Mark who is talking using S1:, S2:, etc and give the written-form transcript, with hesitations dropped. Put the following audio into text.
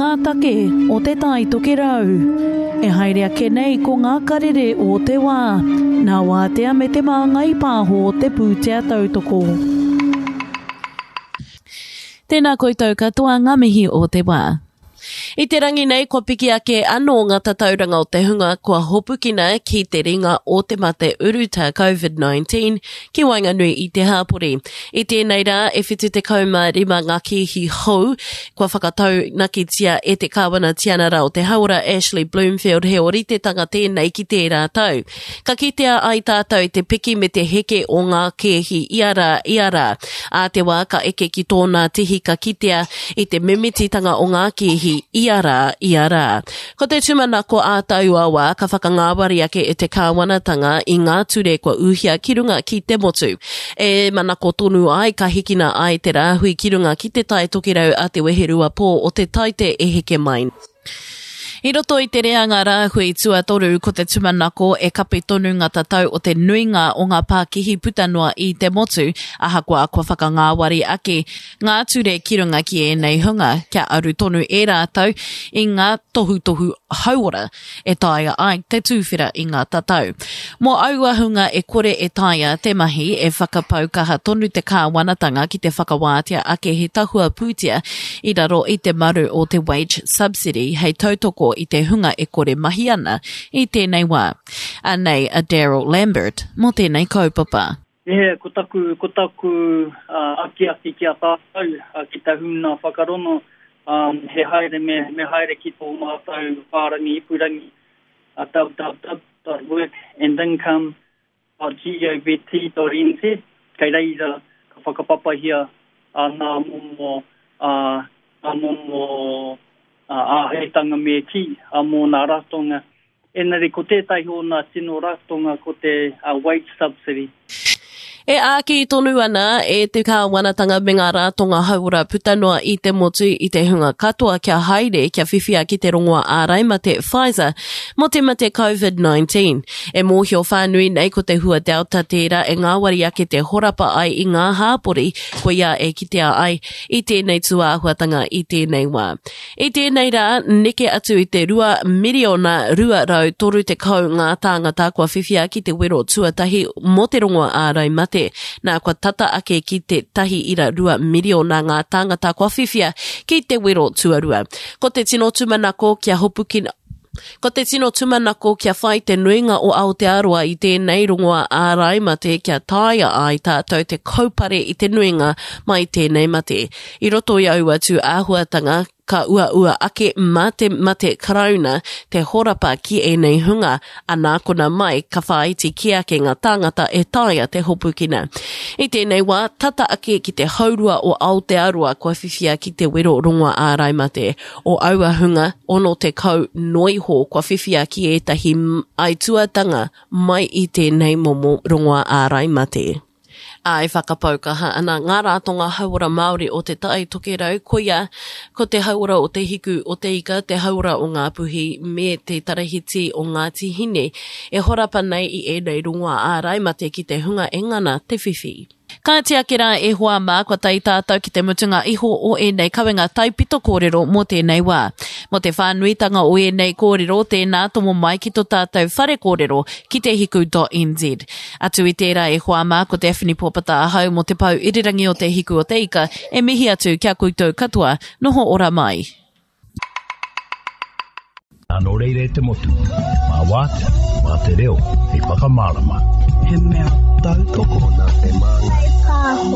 S1: ngā take o Te Tai Tokerau. E haere ake nei ko ngā karere o te wā, nā Wātea me Te Māngai Pāho te pūtea tautoko.
S2: Tēnā koutou katoa ngā mihi o te wā. I te rangi nei kua piki ake anō ngā tatauranga o te hunga kua hopukina ki te ringa o te mate urutā Covid-19 ki waenganui i te hāpori. I tēnei rā e 75 ngā kēhi hou kua whakataunakitia e te Kāwana Tianara o te Hauora Ashley Bloomfield he ōritetanga tēnei ki tērā tau. Ka kitea ai tātou i te piki me te heke o ngā kēhi ia rā, ia rā. Ā te wā ka eke ki tōnā tihi ka kitea i te mimititanga o ngā kēhi ia rā, ia rā. Ko te tūmanako ā taua wā ka whakangāwari ake e te kāwanatanga i ngā ture kua ūhia ki runga ki te motu. E manako tonu ai ka hikina ai te rāhui ki runga ki te Tai Tokerau a te weherua pō o te Taite e heke mai. I roto i te reanga rāhui tuatoru ko te tumanako e kapi tonu ngā tatau o te nuinga o ngā pākihi puta noa i te motu, ahakoa kua whakangāwari ake ngā ture ki runga ki ēnei hunga kia aru tonu e rātou i ngā tohutohu hauora. e taea ai te tūwhera i ngā tatau. Mō aua hunga e kore e taea te mahi, e whakapau kaha tonu te kāwanatanga ki te whakawātea ake he tahua pūtea i raro i te maru o te wage subsidy hei tautoko i te hunga e kore mahi ana i tēnei wā. Anei a Daryl Lambert mō tēnei kaupapa.
S3: He, ko taku, ko taku akiaki ki a tātou, ki te huna whakarono, he haere me, me haere ki tō mātou whārangi ipurangi, www.workandIncome.govt.nz, kei reira ka whakapapahia ngā momo, ngā momo āheitanga me kī, mō ngā ratonga Engari ko tētahi o nā tino ratonga ko te wage subsidy.
S2: E āki tonu ana e te kāwanatanga me ngā rātonga hauora puta noa i te motu i te hunga katoa kia haere kia whiwhia ki te rongoa āraimate Pfizer mō te mate Covid-19. E mōhio whānui nei ko te hua Delta tērā e ngāwari ake te horapa ai i ngā hāpori koia e kitea ai i tēnei tūāhuatanga i tēnei wā. I tēnei rā, neke atu i te 2 miriona 230 ngā tāngata kua whiwhia ki te wero tuatahi mō te rongoa ārai mate, nā kua tata ake ki te 1.2 miriona ngā tāngata kua whiwhia ki te wero tuarua. Ko te tino tūmanako kia hopukina Ko te tino tūmanako kia whai te nuinga o Aotearoa i tēnei rongoa ārai mate kia taea ai tātou te kaupare i te nuinga mai tēnei mate. I roto i aua tū āhuatanga, ka uaua ake mā te mate Karauna te horapa ki ēnei hunga, anā kona mai ka whāiti kē ake ngā tāngata e taea te hopukina. I tēnei wā, tata ake ki te haurua o Aotearoa kua whiwhia ki te wero rongoa ārai mate. O aua hunga, 60 noa iho kua whiwhia ki ētahi aituatanga mai i tēnei momo rongoa ārai mate. Ā, e whakapau kaha ana ngā rātonga hauora Māori o Te Tai Tokerau, koia ko te hauora o Te Hiku o Te Ika, te hauora o Ngāpuhi me te Tarahiti o Ngāti Hine, e horapa nei i ēnei rongoā ārai mate ki te hunga e ngana te whiwhi. Kāti ake rā e hoa mā, kua tae tātou ki te mutunga iho o ēnei kawenga taipito kōrero mō tēnei wā. Mō te whānuitanga o ēnei kōrero, tēnā tomo mai ki to tātou whare kōrero ki te hiku.nz. Atu i tērā e hoa mā, ko Daphne Pōpata ahau mō te pou irirangi o Te Hiku o Te Ika e mihi atu ki a koutou katoa, noho ora mai.
S4: Nā nō reira e te motu, mā Wātea, mā te reo, hei whakamārama.
S5: He mea tautoko nā te Māngai Pāho.